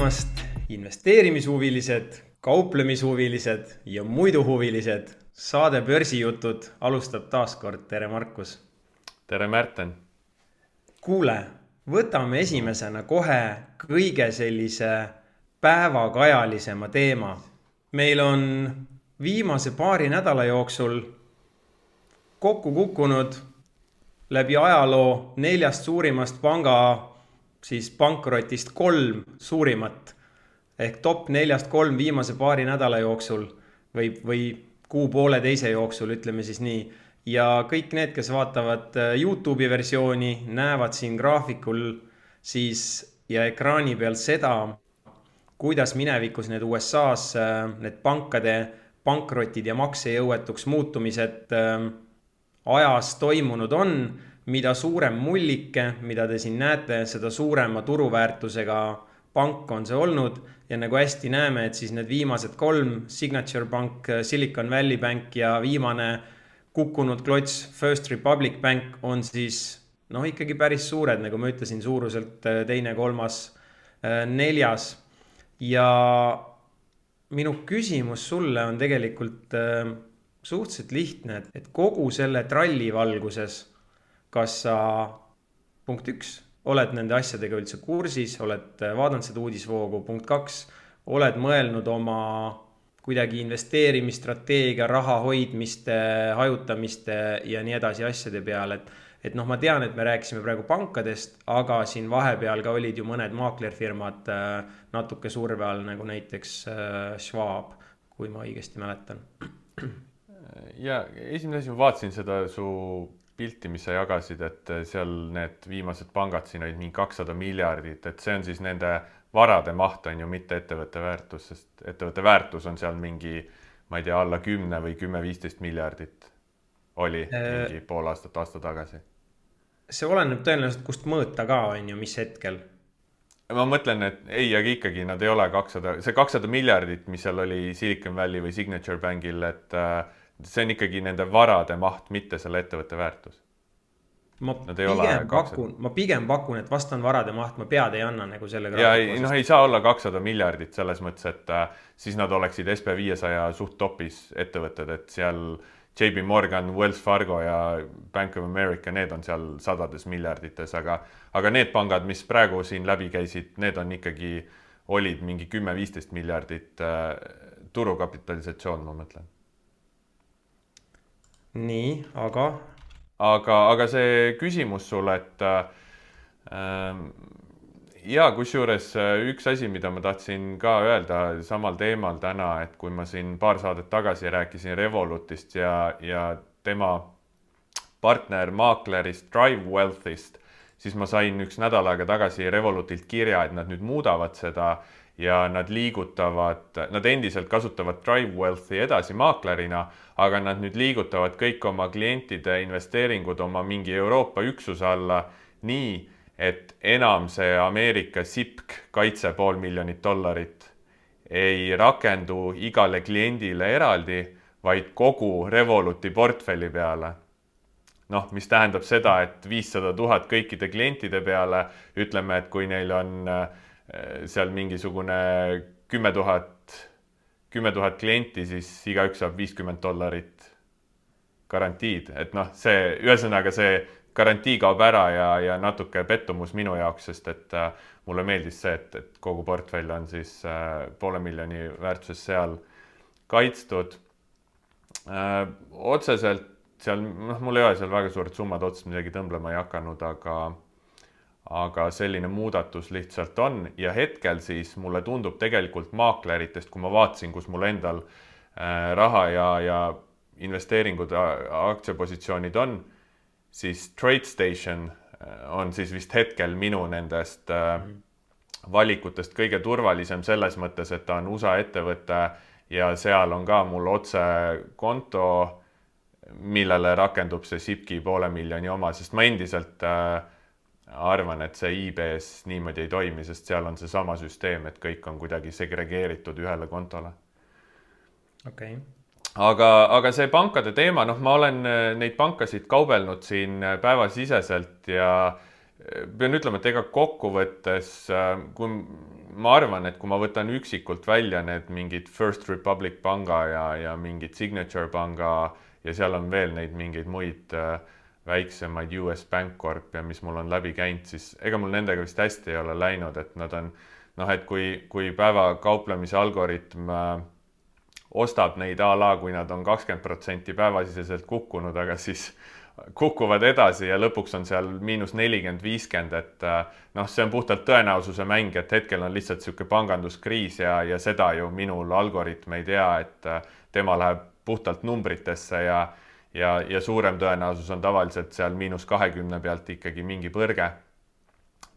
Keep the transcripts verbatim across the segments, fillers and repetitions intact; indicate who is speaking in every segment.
Speaker 1: tulemast, investeerimishuvilised, kauplemishuvilised ja muidu huvilised. Saade Börsijutud alustab taas kord. Tere, Markus!
Speaker 2: Tere, Märten!
Speaker 1: Kuule, võtame esimesena kohe kõige sellise päevakajalisema teema. Meil on viimase paari nädala jooksul kokku kukkunud läbi ajaloo neljast suurimast panga siis pankrotist kolm suurimat ehk top neljast kolm viimase paari nädala jooksul või, või kuu poole teise jooksul, ütleme siis nii. Ja kõik need, kes vaatavad YouTube'i versiooni, näevad siin graafikul siis ja ekraani peal seda, kuidas minevikus need U S A-s need pankade pankrotid ja maksejõuetuks muutumised ajas toimunud on. Mida suurem mullike, mida te siin näete, seda suurema turuväärtusega pank on see olnud. Ja nagu hästi näeme, et siis need viimased kolm, Signature Bank, Silicon Valley Bank ja viimane kukkunud klots First Republic Bank on siis noh ikkagi päris suured, nagu ma ütlesin, suuruselt teine, kolmas, neljas. Ja minu küsimus sulle on tegelikult suhteliselt lihtne, et kogu selle tralli valguses kas sa, punkt üks, oled nende asjadega üldse kursis, oled vaadanud seda uudisvoogu, punkt kaks, oled mõelnud oma kuidagi investeerimisstrateegia, raha hoidmiste, hajutamiste ja nii edasi asjade peale. Et, et noh, ma tean, et me rääkisime praegu pankadest, aga siin vahepeal ka olid ju mõned maaklerfirmad natuke surve all, nagu näiteks Schwab, kui ma õigesti mäletan.
Speaker 2: Ja esimene asi, ma vaatasin seda su pilti, mis sa jagasid, et seal need viimased pangad siin olid mingi kakssada miljardit, et see on siis nende varade maht on ju mitte ettevõtte väärtus, sest ettevõtte väärtus on seal mingi, ma ei tea, alla kümne või kümme viisteist miljardit oli mingi pool aastat aasta tagasi.
Speaker 1: See oleneb tõenäoliselt, kust mõõta ka on ju, mis hetkel?
Speaker 2: Ma mõtlen, et ei, aga ikkagi nad ei ole kakssada, see kakssada miljardit, mis seal oli Silicon Valley või Signature Bankil, et see on ikkagi nende varade maht, mitte selle ettevõtte väärtus.
Speaker 1: Ma pigem, pakun, ma pigem pakun, et vastan varade maht, ma pead ei anna nagu selle
Speaker 2: ja ei, noh, ei saa olla kakssada miljardit selles mõttes, et äh, siis nad oleksid S P viiesaja suht topis ettevõtted, et seal J P Morgan, Wells Fargo ja Bank of America, need on seal sadades miljardites, aga, aga need pangad, mis praegu siin läbi käisid, need on ikkagi, olid mingi kümme viisteist miljardit äh, turukapitalisatsioon, ma mõtlen.
Speaker 1: Nii, aga...
Speaker 2: Aga, aga see küsimus sulle, et äh, ja kusjuures üks asi, mida ma tahtsin ka öelda samal teemal täna, et kui ma siin paar saadet tagasi rääkisin Revolutist ja, ja tema partner maaklerist Drive Wealthist, siis ma sain üks nädal aega tagasi Revolutilt kirja, et nad nüüd muudavad seda ja nad liigutavad, nad endiselt kasutavad Drive Wealthi edasi maaklerina, aga nad nüüd liigutavad kõik oma klientide investeeringud oma mingi Euroopa üksuse alla nii, et enam see Ameerika S I P K kaitse pool miljonit dollarit ei rakendu igale kliendile eraldi, vaid kogu Revoluti portfelli peale. Noh, mis tähendab seda, et viissada tuhat kõikide klientide peale, ütleme, et kui neil on seal mingisugune kümme tuhat, kümme tuhat klienti, siis igaüks saab viiskümmend dollarit garantiid. Et noh, see, ühesõnaga see garantii kaob ära ja, ja natuke pettumus minu jaoks, sest et äh, mulle meeldis see, et, et kogu portfell on siis äh, poole miljoni väärtuses seal kaitstud. Äh, otseselt seal, noh, mul ei ole seal väga suured summad otsest midagi tõmblema ei hakanud, aga aga selline muudatus lihtsalt on ja hetkel siis mulle tundub tegelikult maakleritest, kui ma vaatasin, kus mul endal äh, raha ja, ja investeeringud, aktsiapositsioonid on, siis TradeStation on siis vist hetkel minu nendest äh, valikutest kõige turvalisem selles mõttes, et ta on U S A ettevõte ja seal on ka mul otse konto, millele rakendub see S I P K-i poole miljoni oma, sest ma endiselt äh, arvan, et see I B-s niimoodi ei toimi, sest seal on see sama süsteem, et kõik on kuidagi segregeeritud ühele kontole.
Speaker 1: Okay.
Speaker 2: Aga, aga see pankade teema, noh, ma olen neid pankasid kaubelnud siin päevasiseselt ja pean ütlema, et ega kokkuvõttes, kui ma arvan, et kui ma võtan üksikult välja need mingid First Republic panga ja, ja mingid Signature panga ja seal on veel neid mingeid muid väiksemaid U S Bancorp ja mis mul on läbi käinud, siis ega mul nendega vist hästi ei ole läinud, et nad on, noh, et kui, kui päeva kauplemise algoritm ostab neid a la, kui nad on kakskümmend protsenti päevasiseselt kukkunud, aga siis kukuvad edasi ja lõpuks on seal miinus nelikümmend, viiskümmend, et noh, see on puhtalt tõenäosuse mäng, et hetkel on lihtsalt sihuke panganduskriis ja, ja seda ju minul algoritm ei tea, et tema läheb puhtalt numbritesse ja, ja, ja suurem tõenäosus on tavaliselt seal miinus kahekümne pealt ikkagi mingi põrge,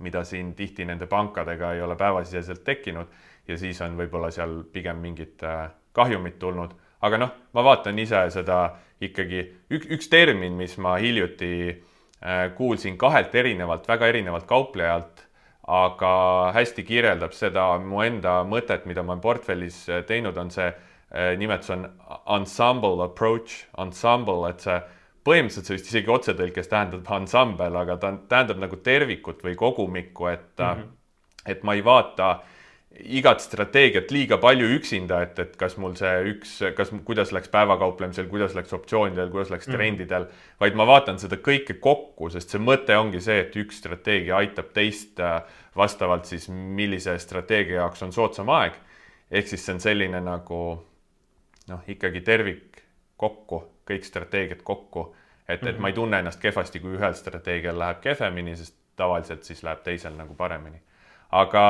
Speaker 2: mida siin tihti nende pankadega ei ole päevasiseselt tekkinud ja siis on võib-olla seal pigem mingit kahjumit tulnud. Aga noh, ma vaatan ise seda ikkagi ük, üks termin, mis ma hiljuti kuulsin kahelt erinevalt, väga erinevalt kauplejalt, aga hästi kirjeldab seda mu enda mõtet, mida ma portfellis teinud, on see nimetus on ensemble approach, ensemble, et see põhimõtteliselt see vist isegi otsetõlkes tähendab ensemble, aga ta tähendab nagu tervikut või kogumikku, et, mm-hmm. et ma ei vaata igat strateegiat liiga palju üksinda, et, et kas mul see üks, kas, kuidas läks päevakauplemisel, kuidas läks optsioonidel, kuidas läks trendidel, vaid ma vaatan seda kõike kokku, sest see mõte ongi see, et üks strateegia aitab teist vastavalt siis, millise strateegia jaoks on soodsam aeg. Ehk siis see on selline nagu noh, ikkagi tervik kokku, kõik strateegiad kokku, et, et ma ei tunne ennast kehvasti, kui ühel strateegial läheb kehvemini, sest tavaliselt siis läheb teisel nagu paremini. Aga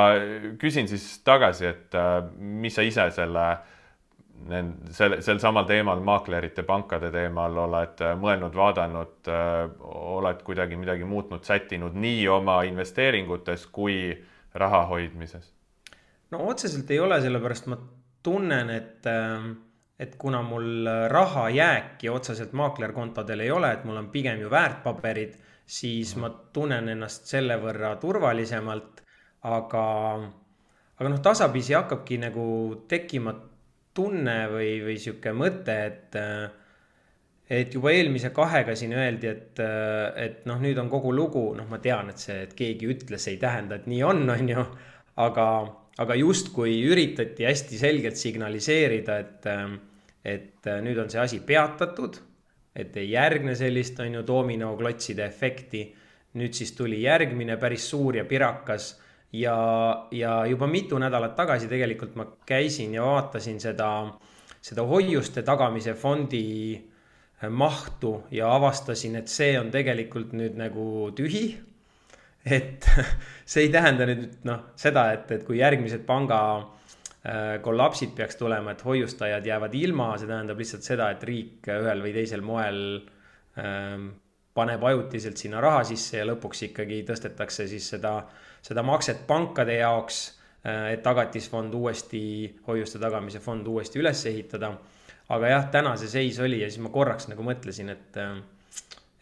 Speaker 2: küsin siis tagasi, et mis sa ise selle, sel, sel samal teemal, maaklerite, pankade teemal oled mõelnud, vaadanud, oled kuidagi midagi muutnud, sättinud nii oma investeeringutes kui raha hoidmises?
Speaker 1: No otseselt ei ole, sellepärast ma tunnen, et, et kuna mul raha jääki otseselt maaklerkontodel ei ole, et mul on pigem ju väärtpaberid, siis ma tunnen ennast selle võrra turvalisemalt. Aga, aga noh, tasapisi hakkabki nagu tekkima tunne või, või siuke mõte, et, et juba eelmise kahega siin öeldi, et, et noh, nüüd on kogu lugu, noh, ma tean, et see, et keegi ütles, ei tähenda, et nii on, on ju, aga, aga just kui üritati hästi selgelt signaliseerida, et, et nüüd on see asi peatatud, et ei järgne sellist, on ju, dominoklotside efekti, nüüd siis tuli järgmine päris suur ja pirakas. Ja, ja juba mitu nädalat tagasi tegelikult ma käisin ja vaatasin seda, seda hoiuste tagamise fondi mahtu ja avastasin, et see on tegelikult nüüd nagu tühi. Et see ei tähenda nüüd noh, seda, et, et kui järgmised panga kollapsid peaks tulema, et hoiustajad jäävad ilma, see tähendab lihtsalt seda, et riik ühel või teisel moel ähm, paneb ajutiselt sinna raha sisse ja lõpuks ikkagi tõstetakse siis seda, seda makset pankade jaoks, et tagatisfond uuesti, hoiuste tagamise fond uuesti üles ehitada. Aga jah, täna see seis oli ja siis ma korraks nagu mõtlesin, et,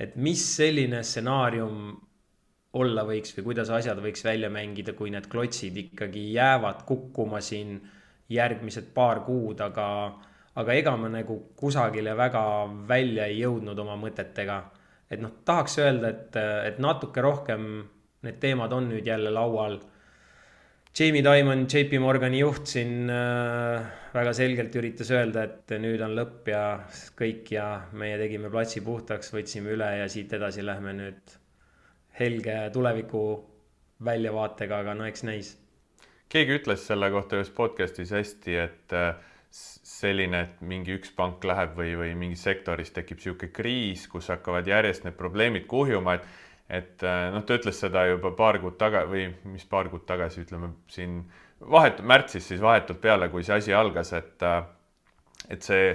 Speaker 1: et mis selline stsenaarium olla võiks või kuidas asjad võiks välja mängida, kui need klotsid ikkagi jäävad kukkuma siin järgmised paar kuud, aga, aga ega ma nagu kusagile väga välja ei jõudnud oma mõtetega. Et noh, tahaks öelda, et, et natuke rohkem need teemad on nüüd jälle laual. Jamie Dimon, J P Morgani juht siin äh, väga selgelt üritas öelda, et nüüd on lõpp ja kõik ja meie tegime platsi puhtaks, võtsime üle ja siit edasi lähme nüüd helge tuleviku väljavaatega, aga no eks näis.
Speaker 2: Keegi ütles selle kohta ühes podcastis hästi, et selline, et mingi üks pank läheb või, või mingi sektoris tekib siuke kriis, kus hakkavad järjest need probleemid kuhjuma, et, et noh, ta ütles seda juba paar kuud taga või mis paar kuud tagasi, ütleme siin vahet, märtsis siis vahetult peale, kui see asi algas, et, et see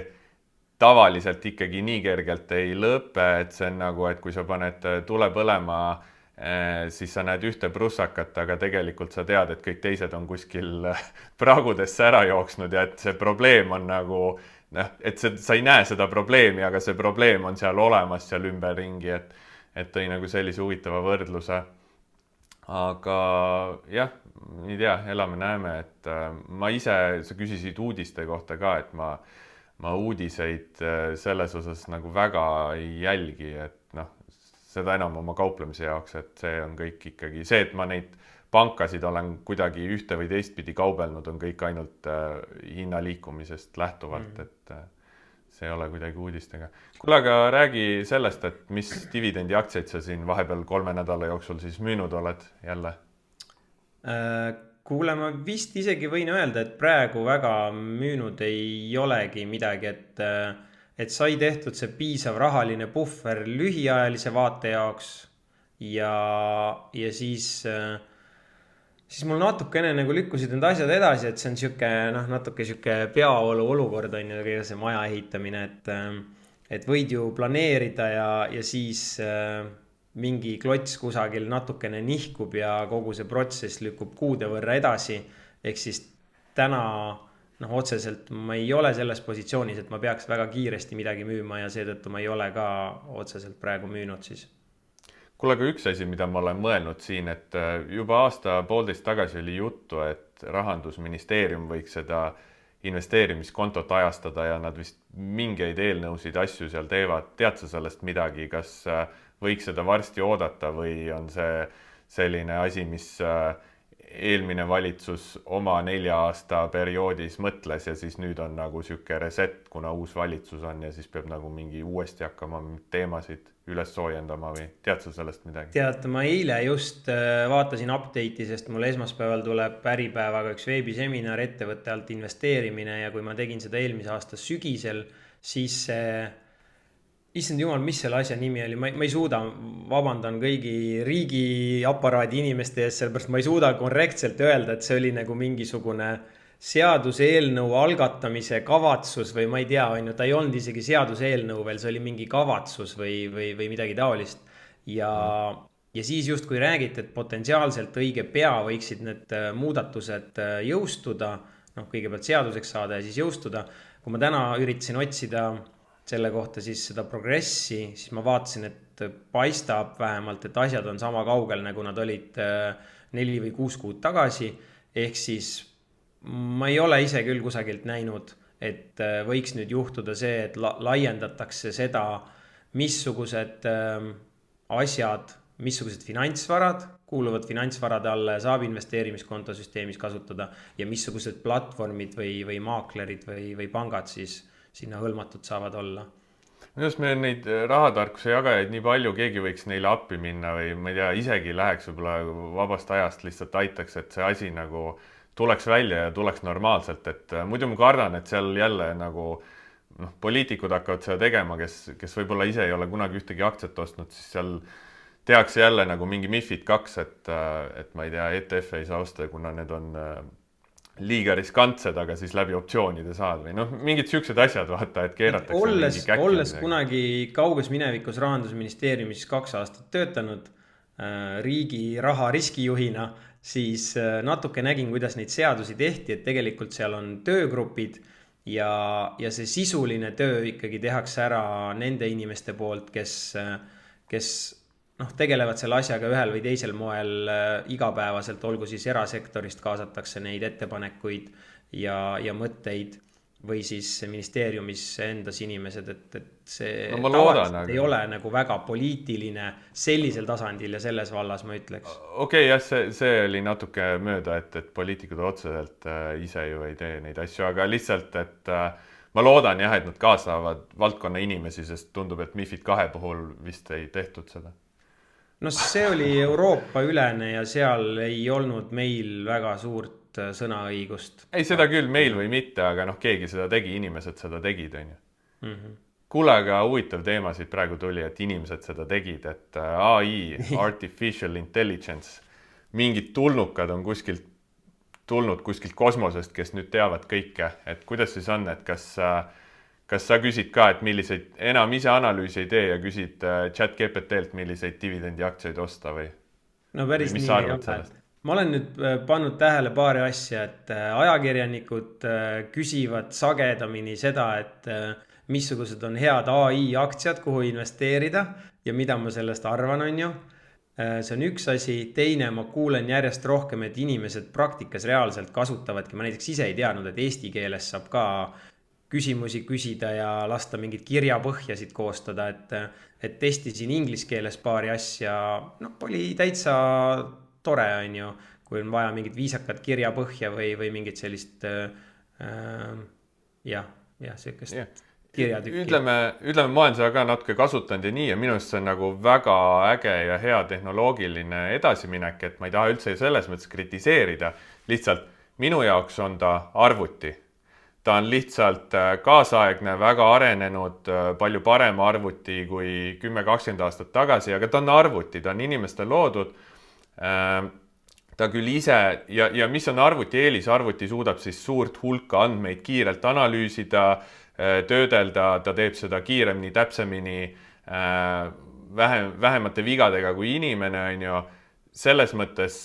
Speaker 2: tavaliselt ikkagi nii kergelt ei lõpe, et see on nagu, et kui sa paned tule põlema, siis sa näed ühte prussakat, aga tegelikult sa tead, et kõik teised on kuskil praagudesse ära jooksnud ja et see probleem on nagu, noh, et see, sa ei näe seda probleemi, aga see probleem on seal olemas seal ümberringi, et, et tõi nagu sellise huvitava võrdluse. Aga jah, ei tea, elame näeme, et ma ise, sa küsisid uudiste kohta ka, et ma, ma uudiseid selles osas nagu väga ei jälgi, et noh, seda enam oma kauplemise jaoks, et see on kõik ikkagi see, et ma neid pankasid olen kuidagi ühte või teistpidi kaubelnud, on kõik ainult äh, hinna liikumisest lähtuvalt, mm. et äh, see ei ole kuidagi uudistega. Kuule, aga räägi sellest, et mis dividendi aktsiaid sa siin vahepeal kolme nädala jooksul siis müünud oled jälle?
Speaker 1: Kuule, ma vist isegi võin öelda, et praegu väga müünud ei olegi midagi, et, et sai tehtud see piisav rahaline puhver lühiajalise vaate jaoks ja, ja siis, siis mul natukene nagu lükkusid need asjad edasi, et see on siuke, noh, natuke siuke peaolu olukord on ju see maja ehitamine, et, et võid ju planeerida ja, ja siis mingi klots kusagil natukene nihkub ja kogu see protsess lükkub kuude võrra edasi. Ehk siis täna noh, otseselt ma ei ole selles positsioonis, et ma peaks väga kiiresti midagi müüma ja seetõttu ma ei ole ka otseselt praegu müünud siis.
Speaker 2: Kuule, aga üks asi, mida ma olen mõelnud siin, et juba aasta poolteist tagasi oli juttu, et Rahandusministeerium võiks seda investeerimiskontot ajastada ja nad vist mingeid eelnõusid asju seal teevad. Tead sa sellest midagi, kas võiks seda varsti oodata või on see selline asi, mis eelmine valitsus oma nelja aasta perioodis mõtles ja siis nüüd on nagu siuke reset, kuna uus valitsus on ja siis peab nagu mingi uuesti hakkama teemasid üles soojendama või tead sa sellest midagi?
Speaker 1: Tead, ma eile just vaatasin update'i, sest mul esmaspäeval tuleb Äripäevaga üks veebiseminar ettevõtte alt investeerimine ja kui ma tegin seda eelmise aasta sügisel, siis see issand jumal, mis selle asja nimi oli, ma ei, ma ei suuda, vabandan kõigi riigiaparaadi inimeste ees, sellepärast ma ei suuda korrektselt öelda, et see oli nagu mingisugune seaduseelnõu algatamise kavatsus või ma ei tea, on ju, ta ei olnud isegi seaduseelnõu veel, see oli mingi kavatsus või, või, või midagi taolist. Ja, ja siis just kui räägiti, et potentsiaalselt õige pea võiksid need muudatused jõustuda, noh, kõigepealt seaduseks saada ja siis jõustuda. Kui ma täna üritasin otsida selle kohta siis seda progressi, siis ma vaatasin, et paistab vähemalt, et asjad on sama kaugel, nagu nad olid neli või kuus kuud tagasi. Ehk siis ma ei ole ise küll kusagilt näinud, et võiks nüüd juhtuda see, et la laiendatakse seda, missugused asjad, missugused finantsvarad kuuluvad finantsvarade alla ja saab investeerimiskontosüsteemis kasutada ja missugused platvormid või, või maaklerid või, või pangad siis sinna hõlmatud saavad olla.
Speaker 2: Minu arust meil neid rahatarkuse jagajaid nii palju, keegi võiks neile appi minna või ma ei tea, isegi läheks võib-olla vabast ajast lihtsalt aitaks, et see asi nagu tuleks välja ja tuleks normaalselt, et muidu ma kardan, et seal jälle nagu noh, poliitikud hakkavad seda tegema, kes, kes võib-olla ise ei ole kunagi ühtegi aktsiat ostnud, siis seal tehakse jälle nagu mingi MiFID kaks, et, et ma ei tea, E T F ei saa osta, kuna need on liiga riskantsed, aga siis läbi optsioonide saad või noh, mingid siuksed asjad vaata, et keeratakse
Speaker 1: olles,
Speaker 2: mingi käkki.
Speaker 1: Olles kunagi kauges minevikus Rahandusministeeriumis kaks aastat töötanud äh, riigi raha riskijuhina, siis äh, natuke nägin, kuidas neid seadusi tehti, et tegelikult seal on töögrupid ja, ja see sisuline töö ikkagi tehakse ära nende inimeste poolt, kes, kes noh, tegelevad selle asjaga ühel või teisel moel igapäevaselt, olgu siis erasektorist kaasatakse neid ettepanekuid ja, ja mõtteid või siis ministeeriumis endas inimesed, et, et see
Speaker 2: no, loodan,
Speaker 1: aga... ei ole nagu väga poliitiline sellisel tasandil ja selles vallas, ma ütleks.
Speaker 2: Okei, okay, jah, see, see oli natuke mööda, et, et poliitikud otseselt äh, ise ju ei tee neid asju, aga lihtsalt, et äh, ma loodan jah, et nad kaasavad valdkonna inimesi, sest tundub, et MiFID kahe puhul vist ei tehtud seda.
Speaker 1: No see oli Euroopa ülene ja seal ei olnud meil väga suurt sõnaõigust.
Speaker 2: Ei, seda küll meil või mitte, aga noh, keegi seda tegi, inimesed seda tegid, on ju.
Speaker 1: Mm -hmm.
Speaker 2: Kuule, aga huvitav teema siit praegu tuli, et inimesed seda tegid, et A I, Artificial Intelligence, mingid tulnukad on kuskilt tulnud kuskilt kosmosest, kes nüüd teavad kõike, et kuidas siis on, et kas Kas sa küsid ka, et milliseid, enam ise analüüsi ei tee ja küsid chat G P T-lt, milliseid dividendi aktsiaid osta või?
Speaker 1: No päris nii ei ole. Ma olen nüüd pannud tähele paari asja, et ajakirjanikud küsivad sagedamini seda, et missugused on head A I aktsiad, kuhu investeerida ja mida ma sellest arvan, on ju. See on üks asi. Teine, ma kuulen järjest rohkem, et inimesed praktikas reaalselt kasutavadki. Ma näiteks ise ei teadnud, et eesti keeles saab ka küsimusi küsida ja lasta mingid kirjapõhjasid koostada, et, et testisin inglise keeles paari asja, noh, oli täitsa tore, on ju, kui on vaja mingit viisakat kirjapõhja või, või mingit sellist äh, jah, jah, sellist yeah. kirjatükki.
Speaker 2: Ütleme, ütleme, ma olen seda ka natuke kasutanud ja nii, ja minu arust see on nagu väga äge ja hea tehnoloogiline edasiminek, et ma ei taha üldse selles mõttes kritiseerida, lihtsalt minu jaoks on ta arvuti. Ta on lihtsalt kaasaegne, väga arenenud, palju parem arvuti kui kümme kakskümmend aastat tagasi, aga ta on arvuti, ta on inimestel loodud. Ta küll ise, ja, ja mis on arvuti eelis, arvuti suudab siis suurt hulka andmeid kiirelt analüüsida, töödelda, ta teeb seda kiiremini, täpsemini, vähem, vähemate vigadega kui inimene, on ju. Selles mõttes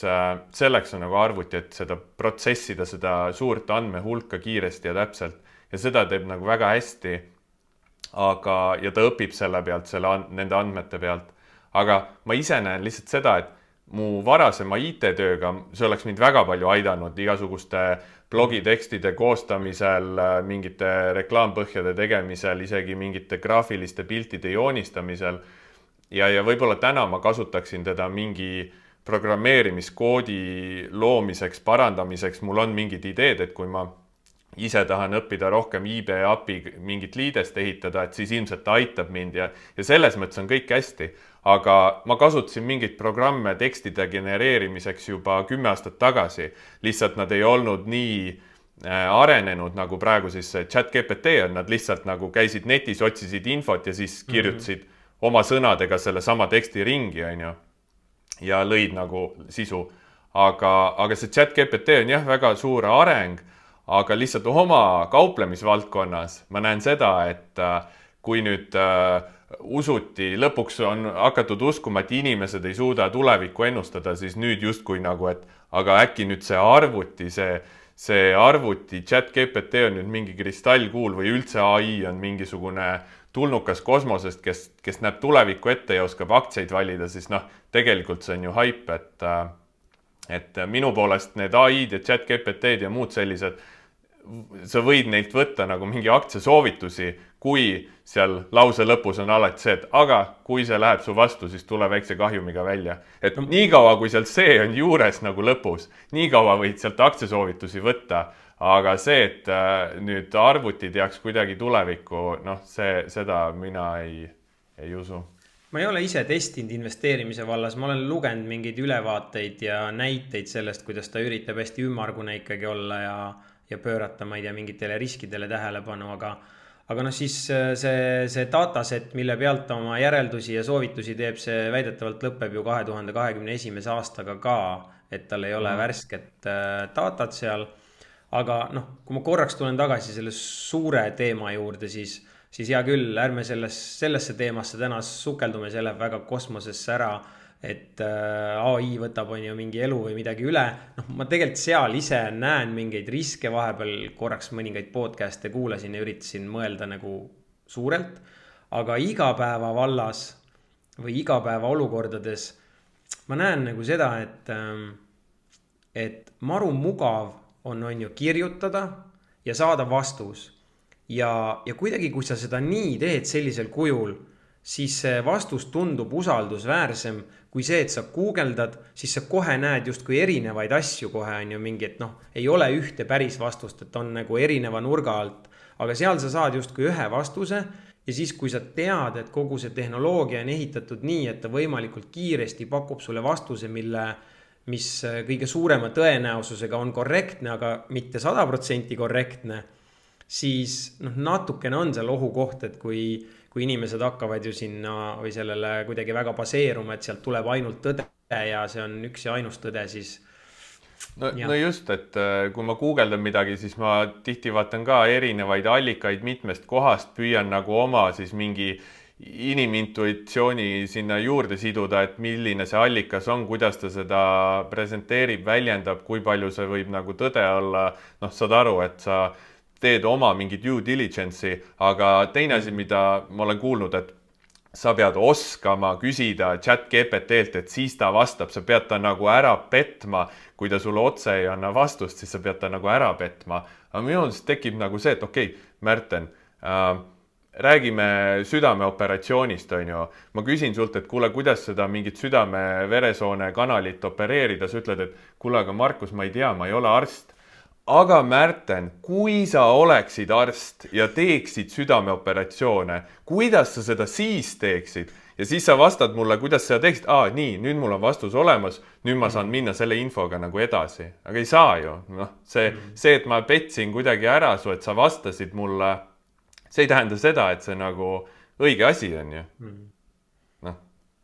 Speaker 2: selleks on nagu arvuti, et seda protsessida, seda suurt andmehulka kiiresti ja täpselt. Ja seda teeb nagu väga hästi, aga, ja ta õpib selle pealt, selle, nende andmete pealt. Aga ma ise näen lihtsalt seda, et mu varasema I T-tööga, see oleks mind väga palju aidanud igasuguste blogitekstide koostamisel, mingite reklaampõhjade tegemisel, isegi mingite graafiliste piltide joonistamisel. Ja, ja võib-olla täna ma kasutaksin teda mingi programmeerimiskoodi loomiseks, parandamiseks. Mul on mingid ideed, et kui ma ise tahan õppida rohkem I B A P I mingit liidest ehitada, et siis ilmselt ta aitab mind ja, ja selles mõttes on kõik hästi. Aga ma kasutasin mingit programme tekstide genereerimiseks juba kümme aastat tagasi. Lihtsalt nad ei olnud nii arenenud nagu praegu siis ChatGPT on. Nad lihtsalt nagu käisid netis, otsisid infot ja siis kirjutasid mm-hmm. oma sõnadega selle sama teksti ringi, on ju. Ja lõid nagu sisu. Aga, aga see ChatGPT on jah väga suur areng, aga lihtsalt oma kauplemisvaldkonnas ma näen seda, et kui nüüd uh, usuti, lõpuks on hakatud uskuma, et inimesed ei suuda tulevikku ennustada, siis nüüd justkui nagu, et aga äkki nüüd see arvuti, see, see arvuti ChatGPT on nüüd mingi kristallkuul või üldse A I on mingisugune tulnukas kosmosest, kes, kes näeb tulevikku ette ja oskab aktsiaid valida, siis noh, tegelikult see on ju haip, et, et minu poolest need A I-d ja ChatGPT-d ja muud sellised, sa võid neilt võtta nagu mingi aktsiasoovitusi, kui seal lause lõpus on alati see, et aga kui see läheb su vastu, siis tule väikse kahjumiga välja. Et nii kaua, kui sealt see on juures nagu lõpus, nii kaua võid sealt aktsiasoovitusi võtta, aga see, et nüüd arvuti teaks kuidagi tulevikku, noh, see, seda mina ei, ei usu.
Speaker 1: Ma ei ole ise testinud investeerimise vallas, ma olen lugenud mingeid ülevaateid ja näiteid sellest, kuidas ta üritab hästi ümmargune ikkagi olla ja, ja pöörata, ma ei tea, mingitele riskidele tähelepanu, aga, aga noh, siis see, see dataset, mille pealt ta oma järeldusi ja soovitusi teeb, see väidetavalt lõpeb ju kahe tuhande kahekümne esimese aastaga ka, et tal ei ole mm. värsket datat seal. Aga noh, kui ma korraks tulen tagasi selle suure teema juurde, siis, siis hea küll, ärme selles, sellesse teemasse täna sukeldume, see läheb väga kosmosesse ära, et A I võtab on ju mingi elu või midagi üle. Noh, ma tegelikult seal ise näen mingeid riske, vahepeal korraks mõningaid podcast'e kuulasin ja üritasin mõelda nagu suurelt, aga igapäeva vallas või igapäeva olukordades ma näen nagu seda, et, et maru mugav on, on ju kirjutada ja saada vastus. Ja, ja kuidagi, kui sa seda nii teed sellisel kujul, siis see vastus tundub usaldusväärsem kui see, et sa guugeldad, siis sa kohe näed justkui erinevaid asju kohe on ju mingi, et noh, ei ole ühte päris vastust, et on nagu erineva nurga alt, aga seal sa saad justkui ühe vastuse ja siis, kui sa tead, et kogu see tehnoloogia on ehitatud nii, et ta võimalikult kiiresti pakub sulle vastuse, mille mis kõige suurema tõenäosusega on korrektne, aga mitte sada protsenti korrektne, siis noh, natukene on seal ohukoht, et kui, kui inimesed hakkavad ju sinna või sellele kuidagi väga baseeruma, et sealt tuleb ainult tõde ja see on üks ja ainus tõde, siis
Speaker 2: no, no just, et kui ma guugeldan midagi, siis ma tihti vaatan ka erinevaid allikaid mitmest kohast, püüan nagu oma siis mingi inimintuitsiooni sinna juurde siduda, et milline see allikas on, kuidas ta seda presenteerib, väljendab, kui palju see võib nagu tõde olla. Noh, saad aru, et sa teed oma mingi due diligence'i, aga teine asi, mida ma olen kuulnud, et sa pead oskama küsida ChatGPT-lt, et siis ta vastab, sa pead ta nagu ära petma, kui ta sulle otse ei anna vastust, siis sa pead ta nagu ära petma, aga minu arust tekib nagu see, et okei okay,, Märten äh,, räägime südameoperatsioonist, on ju. Ma küsin sult, et kuule, kuidas seda mingit südame-veresoone kanalit opereerida, sa ütled, et kuule, aga Markus, ma ei tea, ma ei ole arst. Aga Märten, kui sa oleksid arst ja teeksid südameoperatsioone, kuidas sa seda siis teeksid? Ja siis sa vastad mulle, kuidas sa teeksid. Aa, nii, nüüd mul on vastus olemas, nüüd ma saan minna selle infoga nagu edasi. Aga ei saa ju. No, see, see, et ma petsin kuidagi ära su, et sa vastasid mulle, see ei tähenda seda, et see nagu õige asi on ju. No,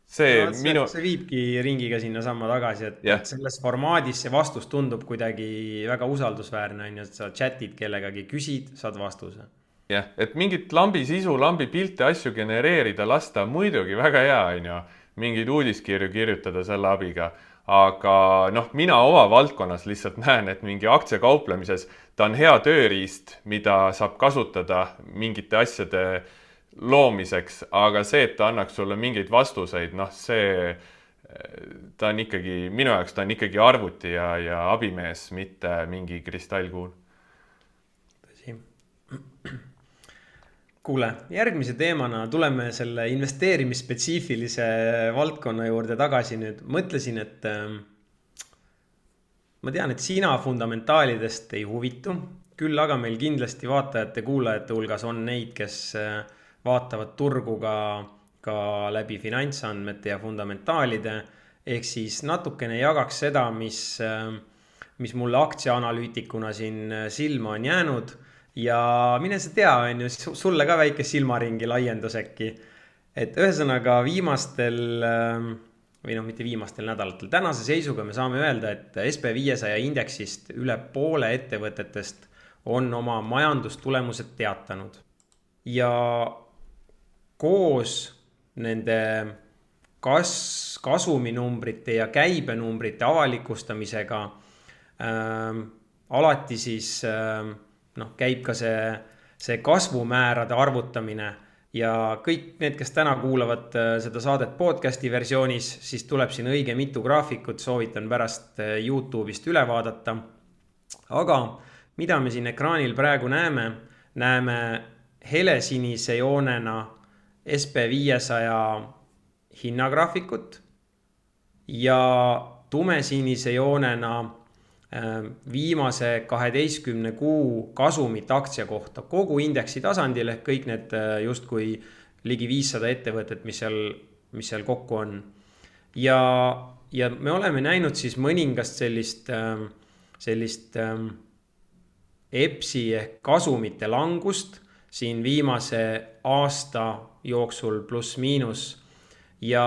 Speaker 2: see,
Speaker 1: no, see,
Speaker 2: minu...
Speaker 1: see viibki ringiga sinna samma tagasi, et,
Speaker 2: yeah.
Speaker 1: et selles formaadis see vastus tundub kuidagi väga usaldusväärne, on ju, et sa chatid kellegagi, küsid, saad vastuse.
Speaker 2: Jah, et mingit lambi sisu, lambi pilte, asju genereerida, lasta muidugi väga hea, on ju, mingeid uudiskirju kirjutada selle abiga. Aga noh, mina oma valdkonnas lihtsalt näen, et mingi aktsiakauplemises ta on hea tööriist, mida saab kasutada mingite asjade loomiseks, aga see, et ta annaks sulle mingeid vastuseid, noh see, ta on ikkagi, minu jaoks ta on ikkagi arvuti ja, ja abimees, mitte mingi kristallkuul.
Speaker 1: Tõsi. Kuule, järgmise teemana tuleme selle investeerimisspetsiifilise valdkonna juurde tagasi nüüd. Mõtlesin, et äh, ma tean, et sina fundamentaalidest ei huvitu, küll aga meil kindlasti vaatajate, kuulajate hulgas on neid, kes äh, vaatavad turgu ka, ka läbi finantsandmete ja fundamentaalide, ehk siis natukene jagaks seda, mis, äh, mis mulle aktsiaanalüütikuna siin silma on jäänud. Ja mine sa tea, on ju, sulle ka väike silmaringi laiendus äkki. Et ühesõnaga viimastel, või noh, mitte viimastel nädalatel, tänase seisuga me saame öelda, et S P viiesaja indeksist üle poole ettevõtetest on oma majandustulemused teatanud. Ja koos nende kas, kasuminumbrite ja käibenumbrite avalikustamisega äh, alati siis... Äh, noh, käib ka see, see kasvumäärade arvutamine ja kõik need, kes täna kuulavad seda saadet podcasti versioonis, siis tuleb siin õige mitu graafikut, soovitan pärast YouTube'ist üle vaadata. Aga mida me siin ekraanil praegu näeme, näeme helesinise joonena S P viiesaja hinnagraafikut ja tumesinise joonena viimase kaheteistkümne kuu kasumit aktsia kohta kogu indeksi tasandil ehk kõik need justkui ligi viissada ettevõtet, mis seal, mis seal kokku on. Ja, ja me oleme näinud siis mõningast sellist, sellist E P S-i ehk kasumite langust siin viimase aasta jooksul pluss miinus. Ja,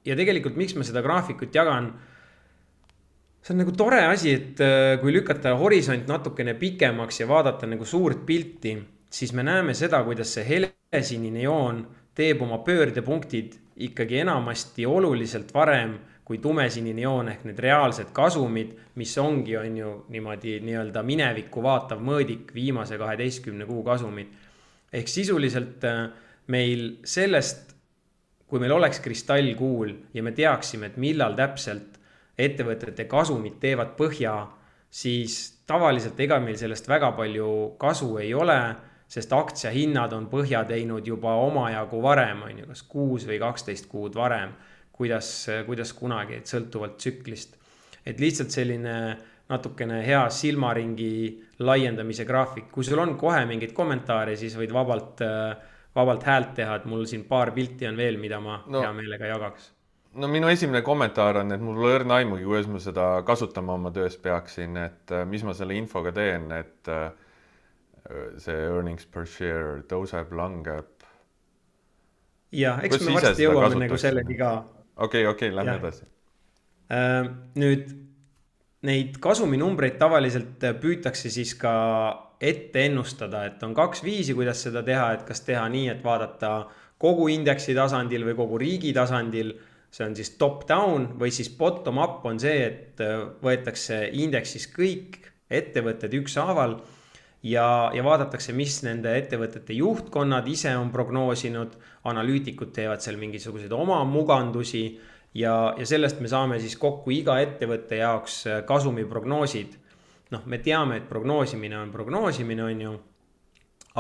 Speaker 1: ja tegelikult miks ma seda graafikut jagan, see on nagu tore asi, et kui lükata horisont natukene pikemaks ja vaadata nagu suurt pilti, siis me näeme seda, kuidas see helesinine joon teeb oma pöördepunktid ikkagi enamasti oluliselt varem kui tumesinine joon ehk need reaalsed kasumid, mis ongi on ju niimoodi nii-öelda minevikku vaatav mõõdik viimase kaheteistkümne kuu kasumid. Ehk sisuliselt meil sellest, kui meil oleks kristallkuul ja me teaksime, et millal täpselt ettevõtete kasumid teevad põhja, siis tavaliselt ega meil sellest väga palju kasu ei ole, sest aktsiahinnad on põhja teinud juba omajagu varem, on ju, kas kuus või kaksteist kuud varem, kuidas, kuidas kunagi, et sõltuvalt tsüklist. Et lihtsalt selline natukene hea silmaringi laiendamise graafik. Kui sul on kohe mingid kommentaare, siis võid vabalt, vabalt häält teha, et mul siin paar pilti on veel, mida ma no. hea meelega jagaks.
Speaker 2: No minu esimene kommentaar on, et mul ei õrna aimugi, kuidas ma seda kasutama oma töös peaksin, et mis ma selle infoga teen, et see earnings per share tõuseb, langeb.
Speaker 1: Ja, eks me varsti jõuame nagu sellegi ka.
Speaker 2: Okei, okei, lähme edasi.
Speaker 1: Nüüd neid kasuminumbreid tavaliselt püütakse siis ka ette ennustada, et on kaks viisi, kuidas seda teha, et kas teha nii, et vaadata kogu indeksi tasandil või kogu riigi tasandil. See on siis top down või siis bottom up on see, et võetakse indeksis kõik ettevõtted ükshaaval ja, ja vaadatakse, mis nende ettevõtete juhtkonnad ise on prognoosinud, analüütikud teevad seal mingisuguseid oma mugandusi ja, ja sellest me saame siis kokku iga ettevõtte jaoks kasumiprognoosid. noh, me teame, et prognoosimine on prognoosimine, on ju,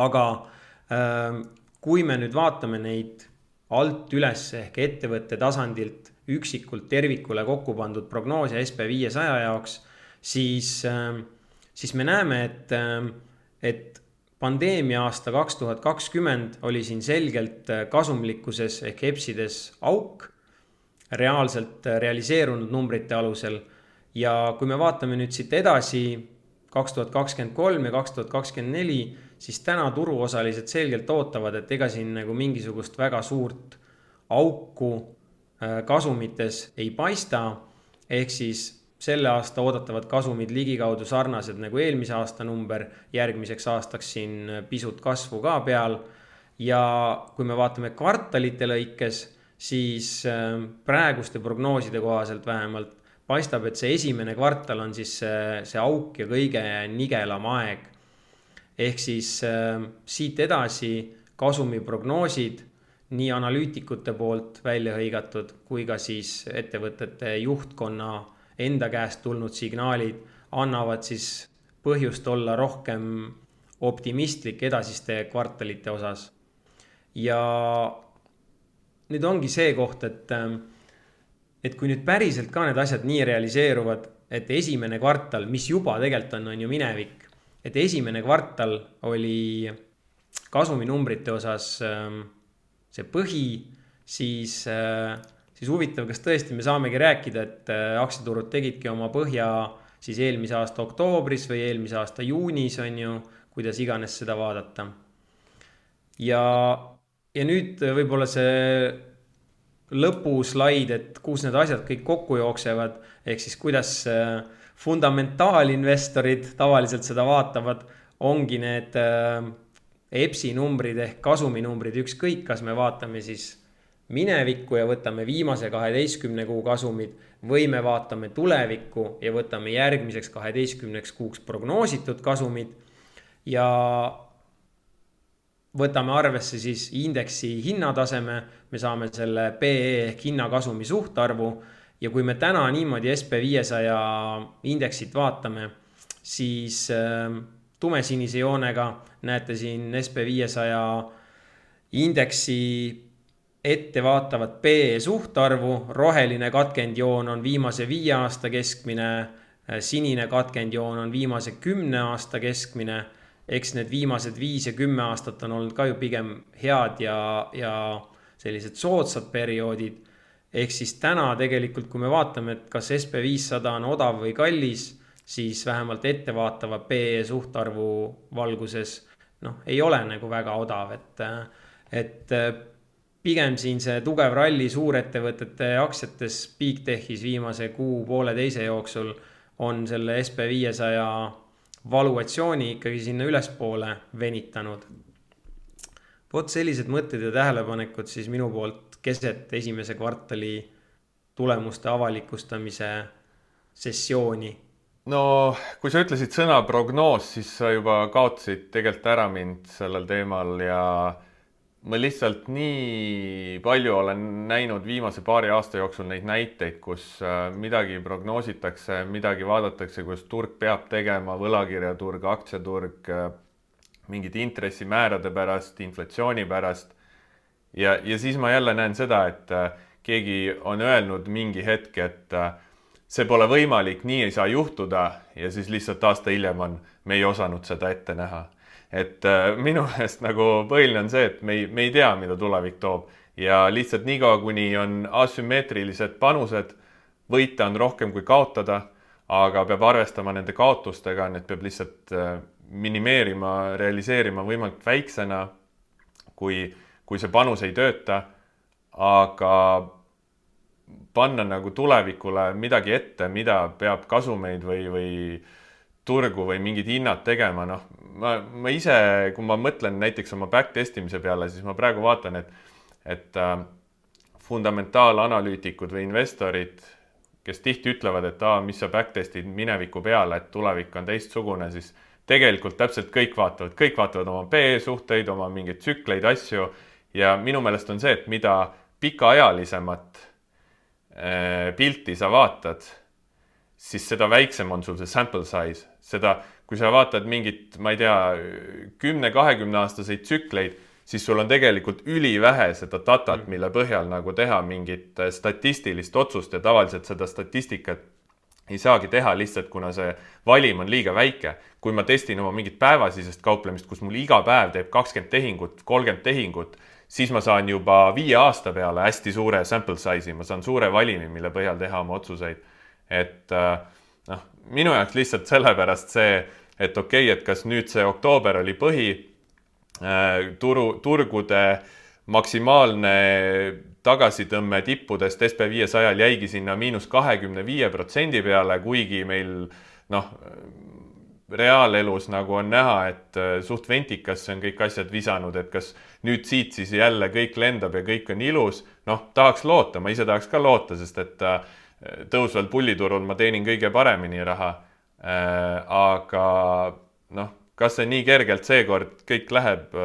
Speaker 1: aga äh, kui me nüüd vaatame neid alt üles ehk ettevõtte tasandilt üksikult tervikule kokku pandud prognoose S P viiesaja jaoks, siis, äh, siis me näeme, et, äh, et pandeemia aasta kaks tuhat kakskümmend oli siin selgelt kasumlikkuses ehk EPS-ides auk, reaalselt realiseerunud numbrite alusel. Ja kui me vaatame nüüd siit edasi kaks tuhat kakskümmend kolm ja kaks tuhat kakskümmend neli, siis täna turuosalised selgelt ootavad, et ega siin nagu mingisugust väga suurt auku kasumites ei paista, ehk siis selle aasta oodatavad kasumid ligikaudu sarnased nagu eelmise aasta number, järgmiseks aastaks siin pisut kasvu ka peal. Ja kui me vaatame kvartalite lõikes, siis praeguste prognooside kohaselt vähemalt paistab, et see esimene kvartal on siis see, see auk ja kõige nigelam aeg. Ehk siis siit edasi kasumi prognoosid nii analüütikute poolt välja hõigatud kui ka siis ettevõtete juhtkonna enda käest tulnud signaalid annavad siis põhjust olla rohkem optimistlik edasiste kvartalite osas. Ja nüüd ongi see koht, et, et kui nüüd päriselt ka need asjad nii realiseeruvad, et esimene kvartal, mis juba tegelikult on, on ju minevik, et esimene kvartal oli kasuminumbrite osas see põhi, siis siis huvitav, kas tõesti me saamegi rääkida, et aktsiaturud tegidki oma põhja siis eelmise aasta oktoobris või eelmise aasta juunis, on ju, kuidas iganes seda vaadata. Ja, ja nüüd võib-olla see lõpuslaid, et kus need asjad kõik kokku jooksevad, ehk siis kuidas fundamentaalinvestorid tavaliselt seda vaatavad, ongi need EPS-i numbrid ehk kasuminumbrid, ükskõik, kas me vaatame siis minevikku ja võtame viimase kaheteistkümne kuu kasumid või me vaatame tulevikku ja võtame järgmiseks kaheteistkümneks kuuks prognoositud kasumid ja võtame arvesse siis indeksi hinnataseme, me saame selle P E ehk hinnakasumi suhtarvu ja kui me täna niimoodi S P viiesaja indeksit vaatame, siis tumesinise joonega näete siin S P viiesaja indeksi ette vaatavat P E suhtarvu, roheline katkendjoon on viimase viie aasta keskmine, sinine katkendjoon on viimase kümne aasta keskmine, eks need viimased viis ja kümme aastat on olnud ka ju pigem head ja, ja sellised soodsad perioodid. Ehk siis täna tegelikult, kui me vaatame, et kas S P viissada on odav või kallis, siis vähemalt ettevaatava P E suhtarvu valguses noh, ei ole nagu väga odav, et, et pigem siin see tugev ralli suurettevõtete aktsiates Bigtechis viimase kuu poole teise jooksul on selle S P viiesaja valuatsiooni ikkagi sinna ülespoole venitanud. Vot sellised mõtted ja tähelepanekud siis minu poolt keset esimese kvartali tulemuste avalikustamise sessiooni.
Speaker 2: No kui sa ütlesid sõna prognoos, siis sa juba kaotasid tegelikult ära mind sellel teemal ja ma lihtsalt nii palju olen näinud viimase paari aasta jooksul neid näiteid, kus midagi prognoositakse, midagi vaadatakse, kus turg peab tegema, võlakirjaturg, aktsiaturg, mingid intressimäärade pärast, inflatsiooni pärast. Ja, ja siis ma jälle näen seda, et keegi on öelnud mingi hetk, et see pole võimalik, nii ei saa juhtuda ja siis lihtsalt aasta hiljem on, me ei osanud seda ette näha. Et minu meelest nagu põhiline on see, et me ei, me ei tea, mida tulevik toob ja lihtsalt niikaua, kuni on asümmeetrilised panused, võita on rohkem kui kaotada, aga peab arvestama nende kaotustega, need peab lihtsalt minimeerima, realiseerima võimalikult väiksena, kui, kui see panus ei tööta, aga panna nagu tulevikule midagi ette, mida peab kasumeid või, või turgu või mingid hinnad tegema, noh, ma, ma ise, kui ma mõtlen näiteks oma backtestimise peale, siis ma praegu vaatan, et, et äh, fundamentaalanalüütikud või investorid, kes tihti ütlevad, et aa, mis sa backtestid mineviku peale, et tulevik on teistsugune, siis tegelikult täpselt kõik vaatavad, kõik vaatavad oma P E suhteid, oma mingeid tsükleid, asju ja minu meelest on see, et mida pikaajalisemat äh, pilti sa vaatad, siis seda väiksem on sul see sample size, seda, kui sa vaatad mingit, ma ei tea, kümne kahekümne aastaseid tsükleid, siis sul on tegelikult ülivähe seda datat, mille põhjal nagu teha mingit statistilist otsust ja tavaliselt seda statistikat ei saagi teha lihtsalt, kuna see valim on liiga väike. Kui ma testin oma mingit päevasisest kauplemist, kus mul iga päev teeb kakskümmend tehingut, kolmkümmend tehingut, siis ma saan juba viie aasta peale hästi suure sample size'i, ma saan suure valimi, mille põhjal teha oma otsuseid. Et noh, minu jaoks lihtsalt sellepärast see, et okei, okay, et kas nüüd see oktoober oli põhi, turu, turgude maksimaalne tagasitõmme tippudest S P viiesajal jäigi sinna miinus kahekümne viie protsendi peale, kuigi meil noh, reaalelus nagu on näha, et suht ventikasse on kõik asjad visanud, et kas nüüd siit siis jälle kõik lendab ja kõik on ilus. Noh, tahaks loota, ma ise tahaks ka loota, sest et tõusval pulliturul ma teenin kõige paremini raha. Aga noh, kas see nii kergelt seekord kõik läheb?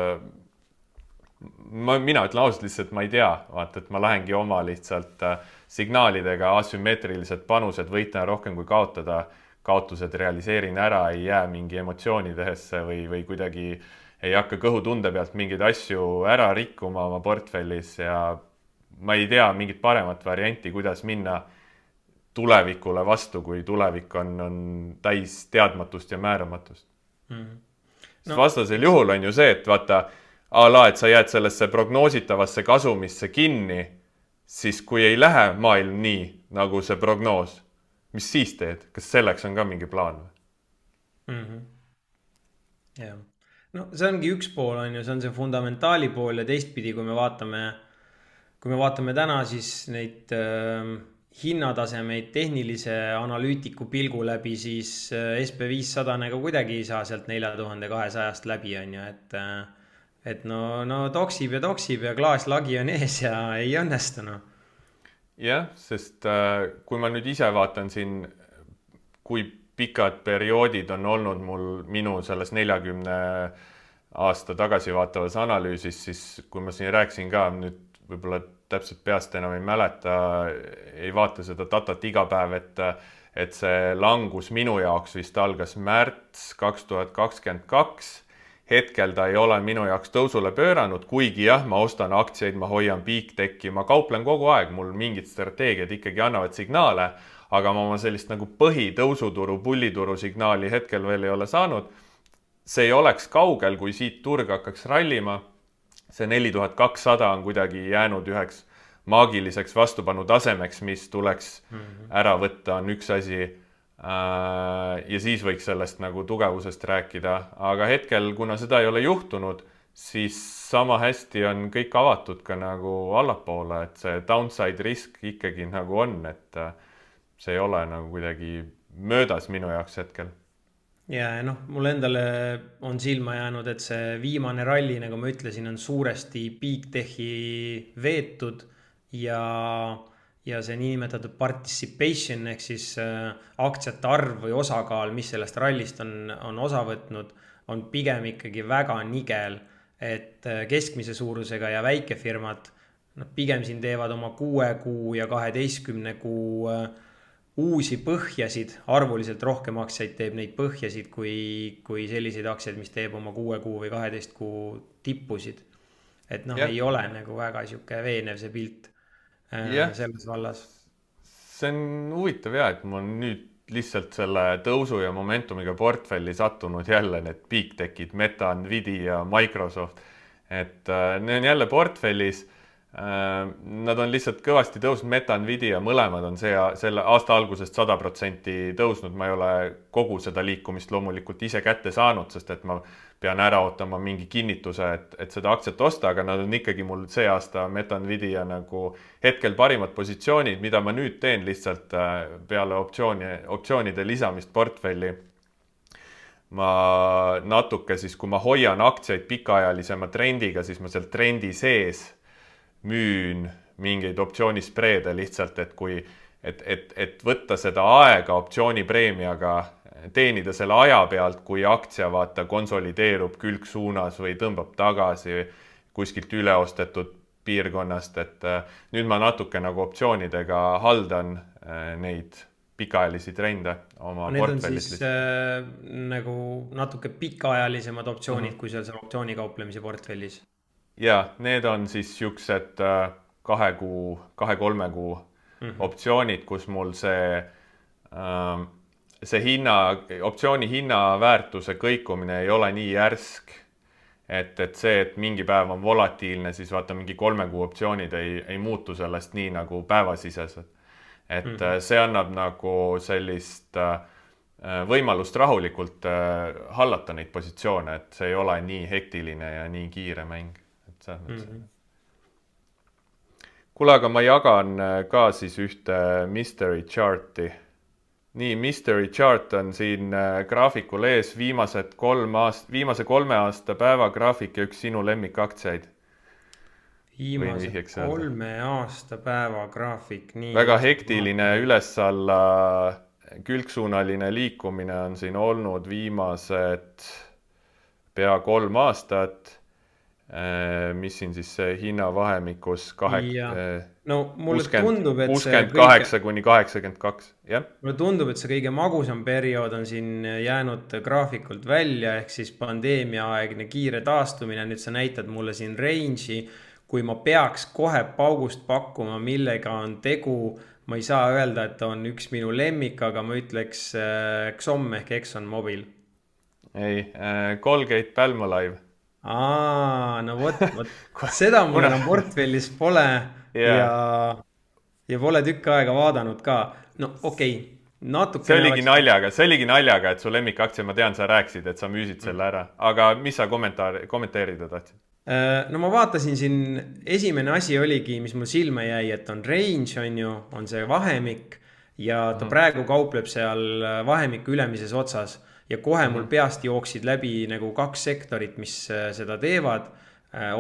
Speaker 2: Ma, mina ütlen ausalt lihtsalt, ma ei tea, vaata, et ma lähengi oma lihtsalt signaalidega asümmeetrilised panused, võitna rohkem kui kaotada, kaotused realiseerin ära, ei jää mingi emotsioonidesse või, või kuidagi ei hakka kõhutunde pealt mingeid asju ära rikkuma oma portfellis ja ma ei tea mingit paremat varianti, kuidas minna tulevikule vastu, kui tulevik on, on täis teadmatust ja määramatust. Mm-hmm. No. Vastasel juhul on ju see, et vaata, ala, et sa jääd sellesse prognoositavasse kasumisse kinni, siis kui ei lähe maailm nii, nagu see prognoos, mis siis teed? Kas selleks on ka mingi plaan?
Speaker 1: Mm-hmm. Yeah. No see ongi üks pool, on ju, see on see fundamentaali pool ja teistpidi, kui me vaatame, kui me vaatame täna siis neid äh, hinnatasemeid tehnilise analüütiku pilgu läbi, siis äh, S P viissada nagu kuidagi ei saa sealt nelja tuhande kahesajast läbi, on ju, et äh, et no, no toksib ja toksib ja klaaslagi on ees ja ei õnnestu, no.
Speaker 2: Jah, sest äh, kui ma nüüd ise vaatan siin, kui pikad perioodid on olnud mul minu selles neljakümne aasta tagasi vaatavas analüüsis, siis kui ma siin rääkisin ka, nüüd võib-olla täpselt peast enam ei mäleta, ei vaata seda datat iga päev, et, et see langus minu jaoks vist algas märts kaks tuhat kakskümmend kaks. Hetkel ta ei ole minu jaoks tõusule pööranud, kuigi jah, ma ostan aktsiaid, ma hoian piikteki, ma kauplen kogu aeg, mul mingid strateegiad ikkagi annavad signaale, aga ma oma sellist nagu põhi tõusuturu, pullituru signaali hetkel veel ei ole saanud. See ei oleks kaugel, kui siit turg hakkaks rallima. See neli tuhat kakssada on kuidagi jäänud üheks maagiliseks vastupanu tasemeks, mis tuleks ära võtta, on üks asi. Ja siis võiks sellest nagu tugevusest rääkida, aga hetkel, kuna seda ei ole juhtunud, siis sama hästi on kõik avatud ka nagu allapoole, et see downside risk ikkagi nagu on, et see ei ole nagu kuidagi möödas minu jaoks hetkel.
Speaker 1: Ja noh, mul endale on silma jäänud, et see viimane ralli, nagu ma ütlesin, on suuresti peak-techi veetud ja ja see niinimetatud participation ehk siis äh, aktsiate arv või osakaal, mis sellest rallist on, on osa võtnud, on pigem ikkagi väga nigel, et äh, keskmise suurusega ja väikefirmad no, pigem siin teevad oma kuue kuu ja kaheteistkümne kuu äh, uusi põhjasid, arvuliselt rohkem aktsiaid teeb neid põhjasid kui, kui selliseid aktsiaid, mis teeb oma kuue kuu või kaheteist kuu tippusid. Et noh, ei ole nagu väga siuke veenev see pilt.
Speaker 2: Ja,
Speaker 1: selles vallas.
Speaker 2: See on huvitav ja, et ma nüüd lihtsalt selle tõusu ja momentumiga portfelli sattunud jälle need peak-techid, Meta, Nvidia, Microsoft, et need on jälle portfellis. Nad on lihtsalt kõvasti tõusnud, Meta, Nvidia, mõlemad on see, selle aasta algusest sada protsenti tõusnud. Ma ei ole kogu seda liikumist loomulikult ise kätte saanud, sest et ma pean ära ootama mingi kinnituse, et, et seda aktsiat osta, aga nad on ikkagi mul see aasta Meta, Nvidia nagu hetkel parimad positsioonid, mida ma nüüd teen lihtsalt peale optsiooni, optsioonide lisamist portfelli. Ma natuke siis, kui ma hoian aktsiaid pikaajalisema trendiga, siis ma seal trendi sees müün mingeid optsioonispreede lihtsalt, et kui, et, et, et võtta seda aega optsioonipreemiaga, teenida selle aja pealt, kui aktsia vaata konsolideerub külgsuunas või tõmbab tagasi kuskilt üleostetud piirkonnast, et nüüd ma natuke nagu optsioonidega haldan neid pikaajalisi trende oma
Speaker 1: Need on
Speaker 2: portfellis.
Speaker 1: siis äh, nagu natuke pikaajalisemad optsioonid mm -hmm. kui seal seal optsioonikauplemise portfellis.
Speaker 2: Ja, need on siis siuksed kahe kuu, kahe-kolme kuu mm -hmm. optsioonid, kus mul see, see hinna, optsiooni hinna väärtuse kõikumine ei ole nii järsk, et, et see, et mingi päev on volatiilne, siis vaata mingi kolme kuu optsioonid ei, ei muutu sellest nii nagu päevasisesed. Et mm -hmm. see annab nagu sellist võimalust rahulikult hallata neid positsioone, et see ei ole nii hektiline ja nii kiire mäng. Et mm -hmm. Kuule, aga ma jagan ka siis ühte mystery charti. Nii, mystery chart on siin graafikul ees viimased kolm aast, viimase kolme aasta päevagraafik ja üks sinu lemmikaktsiaid.
Speaker 1: Viimase kolme aasta päevagraafik. Nii
Speaker 2: väga hektiline üles-alla külgsuunaline liikumine on siin olnud viimased pea kolm aastat. Mis siin siis hinnavahemikus kahek...
Speaker 1: no mulle tundub, et
Speaker 2: kuuskümmend kaheksa kuni kaheksakümmend kaks. Jah?
Speaker 1: Mulle tundub, et see kõige magusam periood on siin jäänud graafikult välja, ehk siis pandeemiaaegne kiire taastumine. Nüüd sa näitad mulle siin range'i, kui ma peaks kohe paugust pakkuma, millega on tegu. Ma ei saa öelda, et on üks minu lemmik, aga ma ütleks X O M ehk Exxon Mobil.
Speaker 2: Ei, Colgate Palmolive.
Speaker 1: Aa, no vot, vot. Seda mul enam portfellis pole yeah. ja, ja pole tükk aega vaadanud ka. No okei, okay, natuke...
Speaker 2: See oligi oleks... naljaga, see oligi naljaga, et su lemmikaktsia, ma tean, sa rääkisid, et sa müüsid selle ära. Aga mis sa kommentaar, kommenteerida tahtsid?
Speaker 1: No ma vaatasin siin, esimene asi oligi, mis mul silma jäi, et on range, on ju, on see vahemik ja ta mm. praegu kaupleb seal vahemiku ülemises otsas. Ja kohe mul peast jooksid läbi nagu kaks sektorit, mis seda teevad.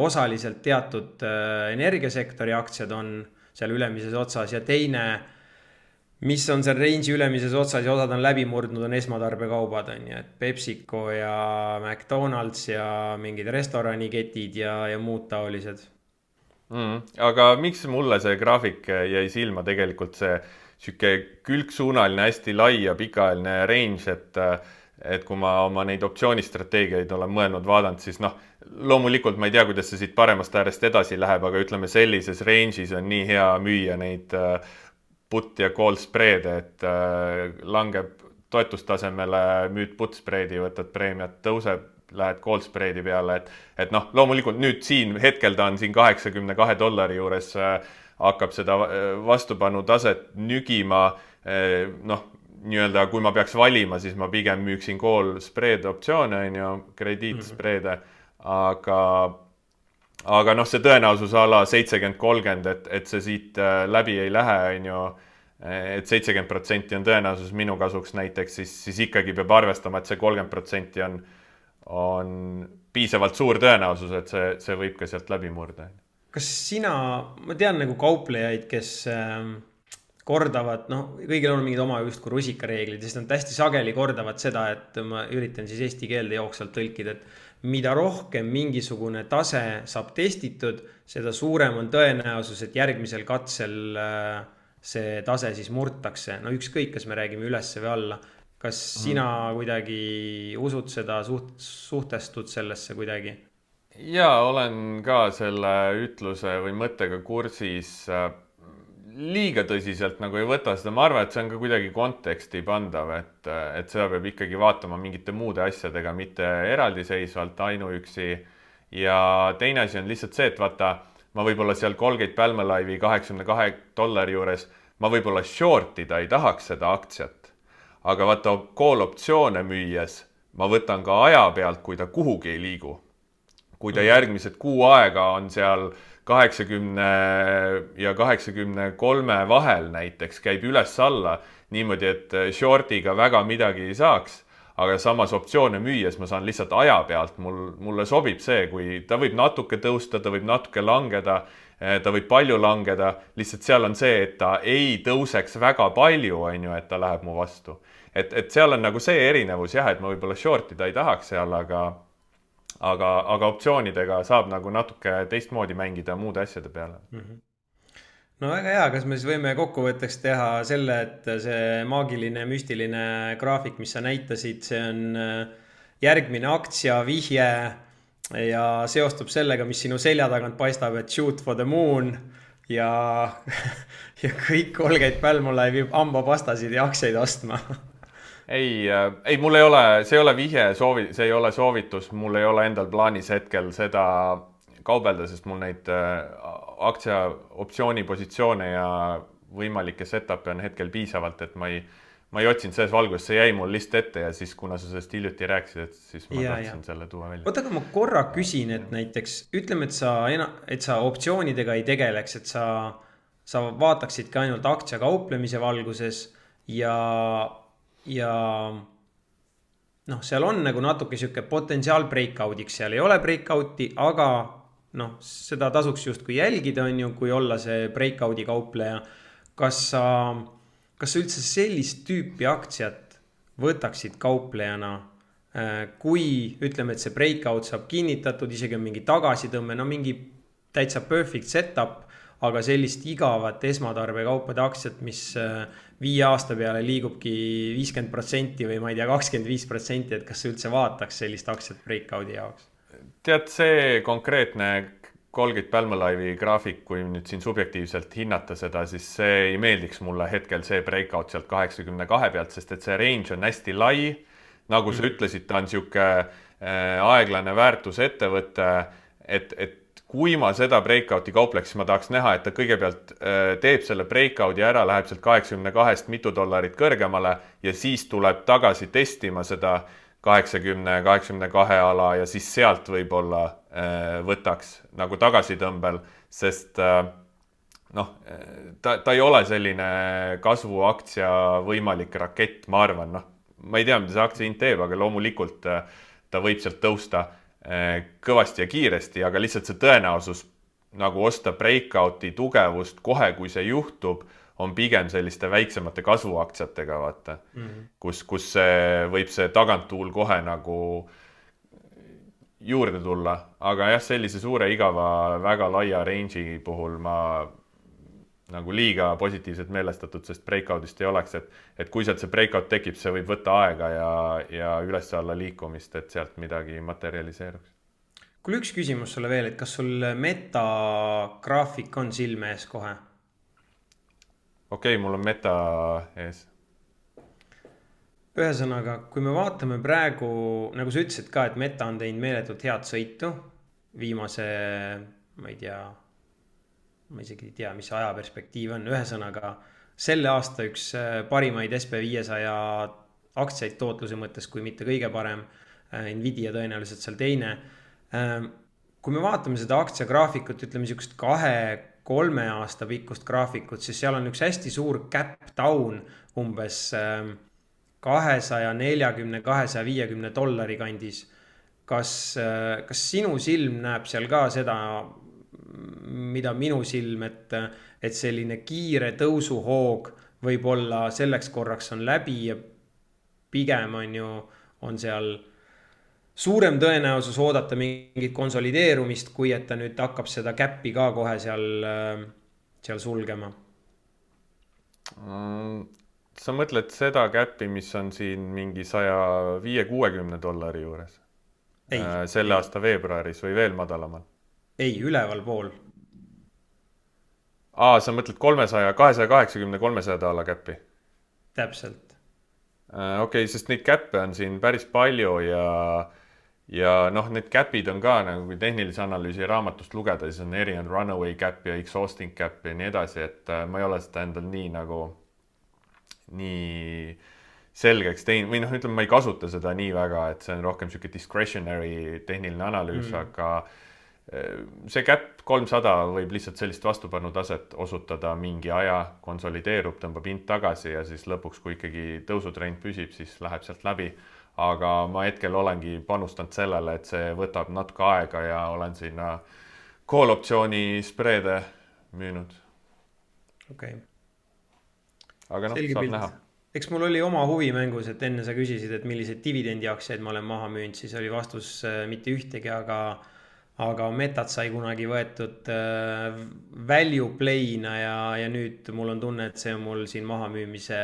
Speaker 1: Osaliselt teatud energiasektori aktsiad on seal ülemises otsas ja teine, mis on seal range'i ülemises otsas ja osad on läbi murdnud, on esmatarbekaubad, on ju, et PepsiCo ja McDonald's ja mingid restoraniketid ja, ja muud taolised.
Speaker 2: Mm, aga miks mulle see graafik jäi silma tegelikult see siuke külgsuunaline, hästi lai ja pikaajaline range, et et kui ma oma neid optsioonistrateegiaid olen mõelnud vaadanud, siis noh, loomulikult ma ei tea, kuidas see siit paremast äärest edasi läheb, aga ütleme sellises range'is on nii hea müüa neid put ja call spreede, et langeb toetustasemele, müüd put spreedi, võtad preemiat, tõuseb, lähed call spreedi peale, et, et noh, loomulikult nüüd siin hetkel ta on siin kaheksakümne kahe dollari juures, hakkab seda vastupanu taset nügima, noh, nii-öelda, kui ma peaks valima, siis ma pigem müüksin call spreed optsioone, on ju, krediitspreede, aga, aga noh, see tõenäosus ala seitsekümmend kolmkümmend, et, et see siit läbi ei lähe, on ju, et seitsekümmend protsenti on tõenäosus minu kasuks näiteks, siis, siis ikkagi peab arvestama, et see kolmkümmend protsenti on, on piisavalt suur tõenäosus, et see, see võib ka sealt läbi murda.
Speaker 1: Kas sina, ma tean nagu kauplejaid, kes kordavad, noh, kõigil on mingid oma just kui rusikareeglid, sest nad hästi sageli kordavad seda, et ma üritan siis eesti keelde jooksvalt tõlkida, et mida rohkem mingisugune tase saab testitud, seda suurem on tõenäosus, et järgmisel katsel see tase siis murtakse. No ükskõik, kas me räägime üles või alla. Kas sina kuidagi usud seda, suht, suhtestud sellesse kuidagi?
Speaker 2: Jaa, olen ka selle ütluse või mõttega kursis. Liiga tõsiselt nagu ei võta seda, ma arvan, et see on ka kuidagi konteksti pandav, et, et seda peab ikkagi vaatama mingite muude asjadega, mitte eraldiseisvalt ainuüksi. Ja teine asi on lihtsalt see, et vaata, ma võib-olla seal Colgate Palmolive'i kaheksakümne kahe dollari juures, ma võib-olla shortida ei tahaks seda aktsiat. Aga vaata, call optsioone müües, ma võtan ka aja pealt, kui ta kuhugi ei liigu. Kui ta järgmised kuu aega on seal kaheksakümne ja kaheksakümne kolme vahel näiteks käib üles-alla niimoodi, et shortiga väga midagi ei saaks, aga samas optsioone müües ma saan lihtsalt aja pealt, mul, mulle sobib see, kui ta võib natuke tõusta, ta võib natuke langeda, ta võib palju langeda, lihtsalt seal on see, et ta ei tõuseks väga palju, on ju, et ta läheb mu vastu. Et, et seal on nagu see erinevus jah, et ma võib-olla shortida ei tahaks seal, aga Aga, aga optsioonidega saab nagu natuke teistmoodi mängida muude asjade peale.
Speaker 1: no väga hea, kas me siis võime kokkuvõtteks teha selle, et see maagiline müstiline graafik, mis sa näitasid, see on äh, järgmine aktsia vihje ja seostub sellega, mis sinu selja tagant paistab, et shoot for the moon ja, ja kõik Colgate Palmolive viib hambapastasid ja aktsiaid ostma.
Speaker 2: ei, ei, mul ei ole, see ei ole vihje, soovi, see ei ole soovitus, mul ei ole endal plaanis hetkel seda kaubelda, sest mul neid aktsia optsiooni positsioone ja võimalikke setup'e on hetkel piisavalt, et ma ei, ma ei otsinud selles valguses, see jäi mul lihtsalt ette ja siis, kuna sa sellest hiljuti rääkisid, et siis ma ja, tahtsin ja. selle tuua välja.
Speaker 1: Oota, aga ma korra küsin, et näiteks ütleme, et sa, et sa optsioonidega ei tegeleks, et sa, sa vaataksidki ainult aktsia kauplemise valguses ja, ja noh, seal on nagu natuke sihuke potentsiaal breakoutiks, seal ei ole breakouti, aga noh, seda tasuks justkui jälgida, on ju, kui olla see breakouti kaupleja. Kas sa, kas sa üldse sellist tüüpi aktsiat võtaksid kauplejana, kui ütleme, et see breakout saab kinnitatud, isegi on mingi tagasitõmme, no mingi täitsa perfect setup, aga sellist igavat esmatarbekaupade aktsiat, mis viie aasta peale liigubki viiskümmend protsenti või ma ei tea, kakskümmend viis protsenti, et kas sa üldse vaataks sellist aktsiat breakouti jaoks?
Speaker 2: Tead, see konkreetne Colgate Palmolive'i graafik, kui nüüd siin subjektiivselt hinnata seda, siis see ei meeldiks mulle hetkel see breakout sealt kaheksakümne kahe pealt, sest et see range on hästi lai. Nagu sa mm. ütlesid, ta on sihuke aeglane väärtusettevõte, et, et kui ma seda breakouti kaupleks, siis ma tahaks näha, et ta kõigepealt teeb selle breakouti ära, läheb sealt kaheksakümne kahest mitu dollarit kõrgemale ja siis tuleb tagasi testima seda kaheksakümne, kaheksakümne kahe ala ja siis sealt võib-olla äh, võtaks nagu tagasitõmbel, sest äh, noh, ta, ta ei ole selline kasvuaktsia võimalik rakett, ma arvan, noh, ma ei tea, mida see aktsia hind teeb, aga loomulikult äh, ta võib sealt tõusta äh, kõvasti ja kiiresti, aga lihtsalt see tõenäosus nagu osta breakouti tugevust kohe, kui see juhtub, on pigem selliste väiksemate kasvuaktsiatega, vaata, mm -hmm. kus, kus see, võib see taganttuul kohe nagu juurde tulla. Aga jah, sellise suure igava väga laia range'i puhul ma nagu liiga positiivselt meelestatud, sest breakoutist ei oleks, et, et kui sealt see breakout tekib, see võib võtta aega ja, ja üles-alla liikumist, et sealt midagi materialiseeruks.
Speaker 1: Kuule, üks küsimus sulle veel, et kas sul meta graafik on silme ees kohe?
Speaker 2: Okei, okay, mul on meta ees.
Speaker 1: Ühesõnaga, kui me vaatame praegu, nagu sa ütlesid ka, et meta on teinud meeletult head sõitu viimase, ma ei tea, ma isegi ei tea, mis ajaperspektiiv on. Ühesõnaga, selle aasta üks parimaid S P viiesaja aktsiaid tootluse mõttes, kui mitte kõige parem, Nvidia tõenäoliselt seal teine. Kui me vaatame seda aktsiagraafikut, ütleme niisugust kahe kolme aasta pikkust graafikut, siis seal on üks hästi suur gap down umbes kahesaja neljakümne, kahesaja viiekümne dollari kandis. Kas, kas sinu silm näeb seal ka seda, mida minu silm, et, et selline kiire tõusuhoog võib-olla selleks korraks on läbi ja pigem on ju, on seal suurem tõenäosus oodata mingit konsolideerumist, kui et ta nüüd hakkab seda käppi ka kohe seal, seal sulgema?
Speaker 2: Sa mõtled seda käppi, mis on siin mingi saja viie kuuekümne dollari juures? Ei, selle aasta veebruaris või veel madalamal?
Speaker 1: Ei, üleval pool.
Speaker 2: Aa, sa mõtled kolmesaja, kahesaja kaheksakümne, kolmesaja dolla käppi?
Speaker 1: Täpselt.
Speaker 2: Okei, okay, sest neid käppe on siin päris palju ja ja noh, need käpid on ka nagu kui tehnilise analüüsi raamatust lugeda, siis on erinevad runaway cap ja exhausting cap ja nii edasi, et ma ei ole seda endal nii nagu nii selgeks teinud või noh, ütleme, ma ei kasuta seda nii väga, et see on rohkem siuke discretionary tehniline analüüs, mm. aga see cap kolmsada võib lihtsalt sellist vastupanutaset osutada mingi aja, konsolideerub, tõmbab hind tagasi ja siis lõpuks, kui ikkagi tõusutrend püsib, siis läheb sealt läbi. Aga ma hetkel olengi panustanud sellele, et see võtab natuke aega ja olen sinna call optsiooni spreede müünud.
Speaker 1: Okei. Okay.
Speaker 2: Aga noh, saab pilt. Näha.
Speaker 1: Eks mul oli oma huvi mängus, et enne sa küsisid, et milliseid dividendi aktsiaid ma olen maha müünud, siis oli vastus mitte ühtegi, aga aga Metat sai kunagi võetud äh, value play'na ja, ja nüüd mul on tunne, et see on mul siin mahamüümise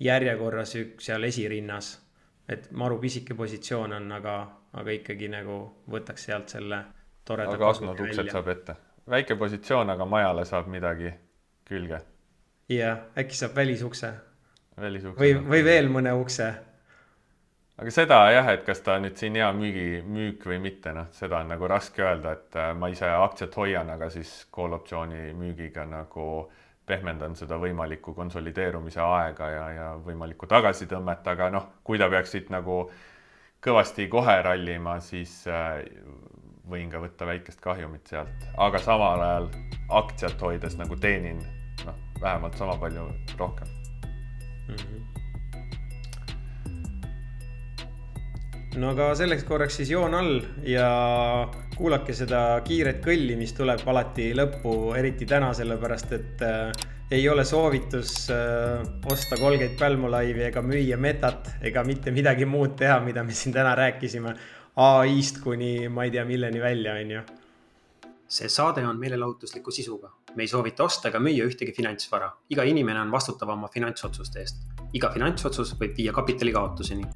Speaker 1: järjekorras üks seal esirinnas. Et maru pisike positsioon on, aga, aga ikkagi nagu võtaks sealt selle toreda
Speaker 2: aga aknad uksed saab ette. Väike positsioon, aga majale saab midagi külge.
Speaker 1: Jah, äkki saab välisukse.
Speaker 2: Välisukse.
Speaker 1: Või, või veel mõne ukse.
Speaker 2: Aga seda jah, et kas ta nüüd siin hea müügi, müük või mitte, noh, seda on nagu raske öelda, et ma ise aktsiat hoian, aga siis call optsiooni müügiga nagu pehmendan seda võimaliku konsolideerumise aega ja, ja võimalikku tagasitõmmet, aga noh, kui ta peaks siit nagu kõvasti kohe rallima, siis võin ka võtta väikest kahjumit sealt, aga samal ajal aktsiat hoides nagu teenin noh, vähemalt sama palju rohkem.
Speaker 1: Mm-hmm. No aga selleks korraks siis joon all ja kuulake seda kiiret kõlli, mis tuleb alati lõppu, eriti täna, sellepärast et äh, ei ole soovitus äh, osta Colgate Palmolive'i ega müüa Metat ega mitte midagi muud teha, mida me siin täna rääkisime A I-st kuni ma ei tea milleni välja, on ju.
Speaker 3: See saade on meelelahutusliku sisuga. Me ei soovita osta ega müüa ühtegi finantsvara. Iga inimene on vastutav oma finantsotsuste eest. Iga finantsotsus võib viia kapitali kaotuseni.